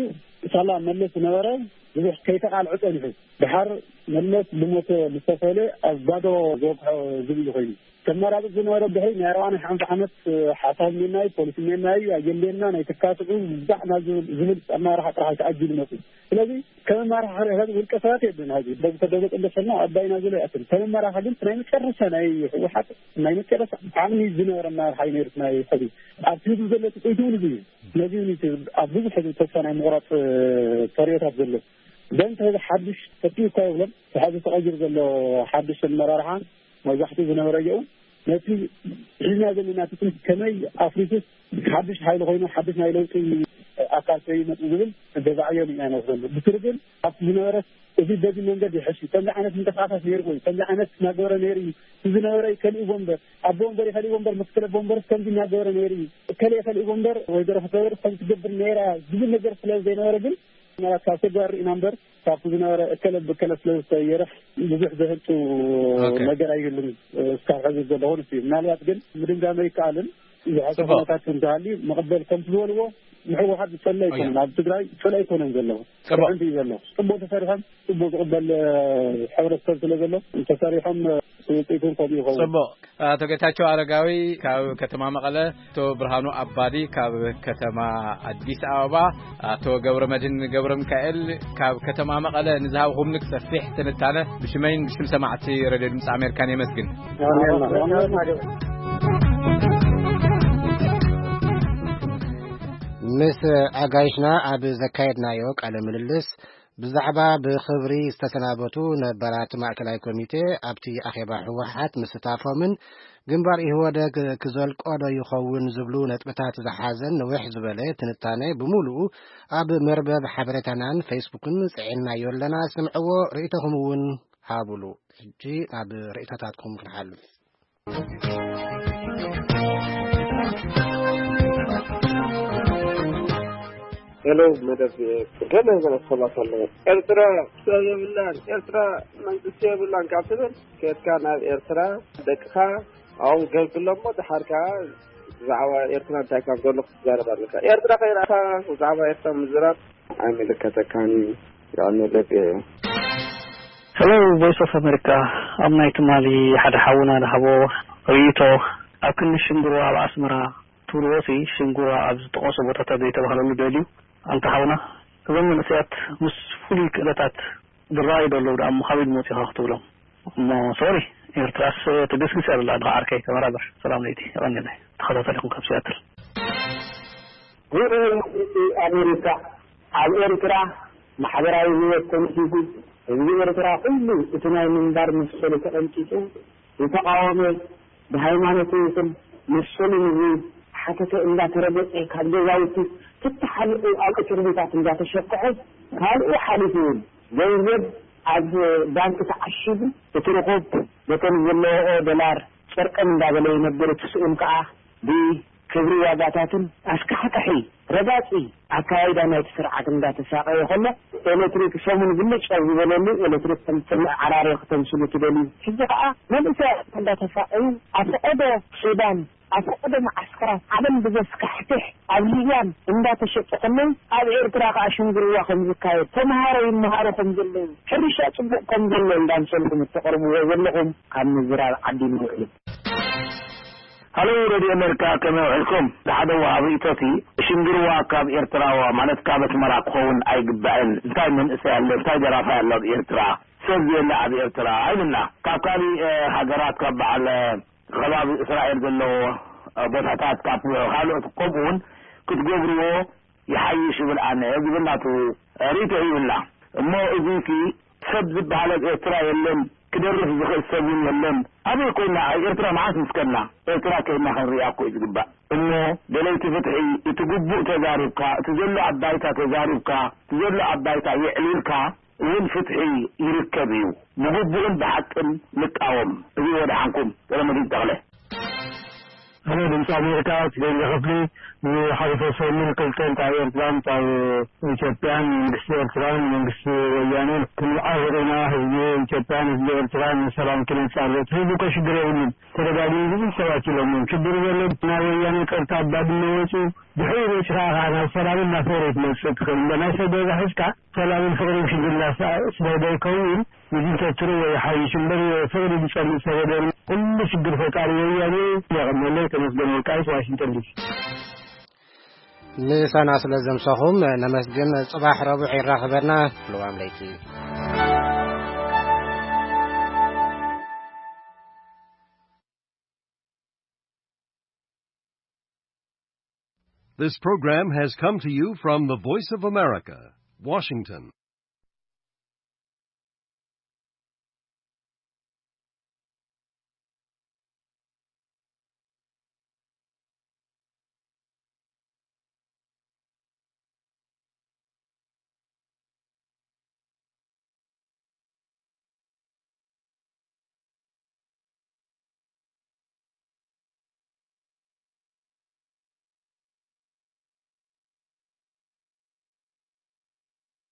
ሳላ መለስ ዝነበረ ብዙሕ ከይተቓልዐ ጸኒሑ። ድሓር መለስ ብሞት ዝተፈለ ኣብ ባዶ ዘብቅሖ ዝብል ኮይኑ። ተመራጺ ዝነበረ ድሕሪ ናይ ኣርባዓን ሓምሳ ዓመት ሓሳብ ሜናይ፣ ፖሊሲ ሜናይ፣ ኣጀንዴና ናይ ተካትዑ ብዛዕ ናብ ዝብል፣ ዝብል ኣመራርሓ ጥራሕ ተኣጊዱ መጽኡ። ስለዚ ከም ኣመራርሓ ውልቀ ሰባት የለን። ሕዚ ዶክተር ደብረጽዮን ደሰና ኣባይና ዝሎ ይኣክል። ከም ኣመራርሓ ግን ናይ መጨረሻ ናይ ህወሓት ናይ መጨረሻ ዓቕሚ ዝነበረ ኣመራርሓ እዩ ነይሩ። ናይ ሕዚ ኣብ ህዝቢ ዘሎ ትጽቢት እውን እዚ እዩ። ስለዚ እውን እቲ ኣብ ብዙሕ ህዝቢ ተስፋ ናይ ምቑራፅ፣ እ፣ ተርእዮታት ዘሎ። ግን እቲ ሕዚ ሓድሽ ተኪኡ እኳ ይብሎም፣ እቲ ሕዚ ተቐይሩ ዘሎ ሓድሽ ኣመራርሓ መብዛሕትኡ ዝነበረ እየው ነቲ ሒዝና ዘለና ትጽቢት ከመይ ኣፍሪሱስ ሓድሽ ሓይሊ ኮይኑ ሓድሽ ናይ ለውጢ ኣካል ከይመጽእ ዝብል ደባዕዮ ኢና ንወስደሉ። ብስሩ ግን ኣብቲ ዝነበረ እዚ በዚ መንገድ ይሕሽ እዩ። ከምዚ ዓይነት ምንቅስቃሳት ነይሩ ወይ ከምዚ ዓይነት እናገበረ ነይሩ እዩ። እዚ ዝነበረ ይከልእዎ እምበር፣ ኣቦ እምበር ይኸልእዎ እምበር፣ ምክትል ኣቦ እምበር ከምዚ እናገበረ ነይሩ እዩ። እከለ ይኸልእዎ እምበር፣ ወይዘሮ ፈትለወርቅ ከምዚ ትገብር ነይራ ዝብል ነገር ስለ ዘይነበረ ግን፣ ምናልባት ካብ ተግባር ርኢና እምበር፣ ካብቲ ዝነበረ እከለ ብከለ ስለ ዝተየርሕ ብዙሕ ዘህልጡ ኦኬ። ነገር ኣይህሉን። እስካብ ሕዚ ዘለኹ ንሱ እዩ። ምናልባት ግን ምድምዳም ኣይከኣልን። ዝሓሸ ጽቡቕ። ኩነታት እንተሃልዩ መቐበል ከም ዝበልዎ ንህወሓት ዝጸልእ ኣይኮነን። ኣብ ትግራይ ጸልእ ኣይኮነን ዘለዎ። ጽቡቕ። ጥዕምቲ እዩ ዘሎ። ጽቡቕ ተሰሪሖም፣ ጽቡቕ ዝቕበል፣ እ፣ ሕብረተሰብ ስለ ዘሎ፣ ተሰሪሖም፣ እ፣ ውጽኢቱ እውን ከምኡ ይኸውን። ጽቡቕ። ኣቶ ጌታቸው ኣረጋዊ ካብ ከተማ መቐለ፣ ኣቶ ብርሃኑ ኣባዲ ካብ ከተማ ኣዲስ ኣበባ፣ ኣቶ ገብረ መድህን ገብረ ሚካኤል ካብ ከተማ መቐለ ንዝሃብኹምኒ ሰፊሕ ትንታነ ብሽመይን ብሽም ሰማዕቲ ሬድዮ ድምፂ ኣሜሪካን የመስግን። ምስ ኣጋይሽና ኣብ ዘካየድናዮ ቃለ ምልልስ፣ ብዛዕባ ብኽብሪ ዝተሰናበቱ ነባራት ማእከላይ ኮሚቴ ኣብቲ ኣኼባ ህወሓት ምስታፎምን ግንባር ኢህወደግ ክዘልቆ ዶ ይኸውን ዝብሉ ነጥብታት ዝሓዘን ንውሕ ዝበለ ትንታነ ብምሉኡ ኣብ መርበብ ሓበሬታናን ፌስቡክን ጽዒናዮ ኣለና። ስምዕዎ፣ ርእይቶኹም እውን ሃቡሉ። ሕጂ ናብ ርእይቶታትኩም ክንሓልፍ። ሄሎ፣ መደብ ገለ ገለ ሰባት ኣለዉ። ኤርትራ ሰብ የብላን፣ ኤርትራ መንግስቲ የብላን ካብ ትብል፣ ከድካ ናብ ኤርትራ ደቅኻ ኣብኡ ገብርሎም እሞ፣ ደሓር ከኣ ብዛዕባ ኤርትራ እንታይ ከም ዘሎ ክትዛረብ ኣለካ። ኤርትራ ከይረኣኻ ብዛዕባ ኤርትራ ምዝራብ ኣይምልከተካን እዩ። ያው መደብ ሄሎ፣ ቮይስ ኦፍ ኣሜሪካ፣ ኣብ ናይ ትማሊ ሓደ ሓውና ዝሃቦ ርእይቶ፣ ኣብ ክንዲ ሽንግርዋ ኣብ ኣስመራ ትብልዎ ሲ፣ ሽንግርዋ ኣብ ዝጠቐሶ ቦታታት ዘይተባህለሉ ደልዩ፣ ኣንታ ሓውና፣ እዞም መንእሰያት ምስ ፍሉይ ክእለታት ዝረኣዩ ዘለዉ ደኣ እሞ ካበይ ዝመጹ ኢኻ ክትብሎም? እሞ ሶሪ፣ ኤርትራስ ትግስግስ እያ ዘላ፣ ድኻ ዓርከይ፣ ተበራበር። ሰላም ለይቲ፣ የቐንየለይ። ተኸታታሊኹም ካብ ሲያትል። ጉባኤ መንግስቲ ኣሜሪካ ኣብ ኤርትራ ማሕበራዊ ህይወት ተነሲቱ፣ ህዝቢ ኤርትራ ኩሉ እቲ ናይ ምንባር መሰሉ ተቐንጢጡ፣ ዝተቓወመ፣ ብሃይማኖቱ ይኹን መሰሉ ንዝሓተተ እንዳተረገጸ፣ ካብ ገዛውቲ ተተሓሊቑ ኣብ እስር ቤታት እንዳተሸክዐ፣ ካልኡ ሓሊፉ እውን ገንዘብ ኣብ ባንክ ተዓሺጉ፣ እቲ ርኹብ በተን ዘለዎኦ ዶላር ጨርቀም እንዳበለ ይነብር፣ እቲ ስኡን ከኣ ብ ክብሪ ዋጋታትን ኣስካሕካሒ ረጋጺ ኣካያይዳ ናይቲ ስርዓት እንዳተሳቐየ ከሎ፣ ኤሌክትሪክ ሰሙን ብልጭ ኣብ ዝበለሉ፣ ኤሌክትሪክ ከም ትልዕ ዓራርዮ ክተምስሉ ትደልዩ። ሕጂ ከኣ መንእሰያት እንዳተሳቐዩ፣ ኣብ ፈቐዶ ሱዳን፣ ኣብ ፈቐዶ መዓስከራት ዓለም ብዘስካሕክሕ ኣብ ሊብያን እንዳተሸጡ ከለዉ፣ ኣብ ኤርትራ ከኣ ሽንግርዋ ከም ዝካየድ፣ ተምሃሮ ይመሃሩ ከም ዘለዉ፣ ሕርሻ ጽቡቕ ከም ዘሎ እንዳምሰልኩም እተቕርብዎ ዘለኹም ካብ ምዝራብ ዓዲ ንውዕል። ሃሎ፣ ሬድዮ ኣሜሪካ፣ ከመይ ውዒልኩም? ሓደ ወሃቢ ርእይቶቲ፣ ሽንግርዋ ካብ ኤርትራ፣ ማለት ካብ ኣስመራ ክኸውን ኣይግባእን። እንታይ መንእሰይ ኣሎ፣ እንታይ ደራፋይ ኣሎ ኣብ ኤርትራ? ሰብ የለ ኣብ ኤርትራ ኣይብልና። ካብ ካሊእ፣ እ፣ ሃገራት፣ ካብ በዓል፣ እ፣ ከባቢ እስራኤል ዘለዎ፣ እ፣ ቦታታት፣ ካብ ካልኦት ከምኡ እውን ክትገብርዎ ይሓይሽ ይብል ኣነ ዝብል ናቱ ርእይቶ ይብልና። እሞ እዚሲ ሰብ ዝበሃል ኣብ ኤርትራ የለን፣ ክደርፍ ዝኽእል ሰብ እውን የለን። ኣበይ ኮይና? ኣብ ኤርትራ መዓስ ምስ ከድና? ኤርትራ ከይድና ክንሪኣ እኮ እዩ ዝግባእ። እሞ ደለይቲ ፍትሒ፣ እቲ ግቡእ ተዛሪብካ፣ እቲ ዘሎ ኣብ ባይታ ተዛሪብካ፣ እቲ ዘሎ ኣብ ባይታ የዕሊልካ እውን ፍትሒ ይርከብ እዩ። ብግቡእን ብሓቅን ንቃወም። እዚ ወደሓንኩም። ገለመድህን ተኽለ። ኣነ ድምፂ ኣሜሪካ፣ ደንገ ክፍሊ፣ ዝሓለፈ ሰሙን ክልተ፣ እንታይ ኤርትራን እንታይ ኢትዮጵያን፣ መንግስቲ ኤርትራን መንግስቲ ወያኔን ክንምዓር ኢና፣ ህዝቢ ኢትዮጵያን ህዝቢ ኤርትራን ንሰላም ክነጻርት። ህዝቢ እኮ ሽግር የብሉን። ተደጋጊሙ ብዙሕ ሰባት ኢሎም እዮም። ሽግር ዘሎ ናይ ወያኔ ጸጥታ ኣብ ባድመ ወጺኡ፣ ድሕሪኡ መጺኻ ከኣ ናብ ሰላምን ናብ ፍቕሪ ትመጽእ ትኽእል። እምበር ናይ ሰብ ገዛ ሒዝካ ሰላምን ፍቕርን ሽግር እንዳሳ-፣ ስለ ዘይከውን፣ ንዲክታቶር ወይ ሓይሽ እምበር ፍቕሪ ዝጸልእ ሰብ የለን። ኩሉ ሽግር ፈጣሪ ወያኔ። የቐነለይ። ተመስገን ወልቃይት፣ ዋሽንግተን ዲሲ። ምሳና ስለ ዘምሰኹም ነመስግን። ጽባሕ ረቡዕ ይራኸበና። ልዋም ለይቲ። This program has come to you from the Voice of America, Washington.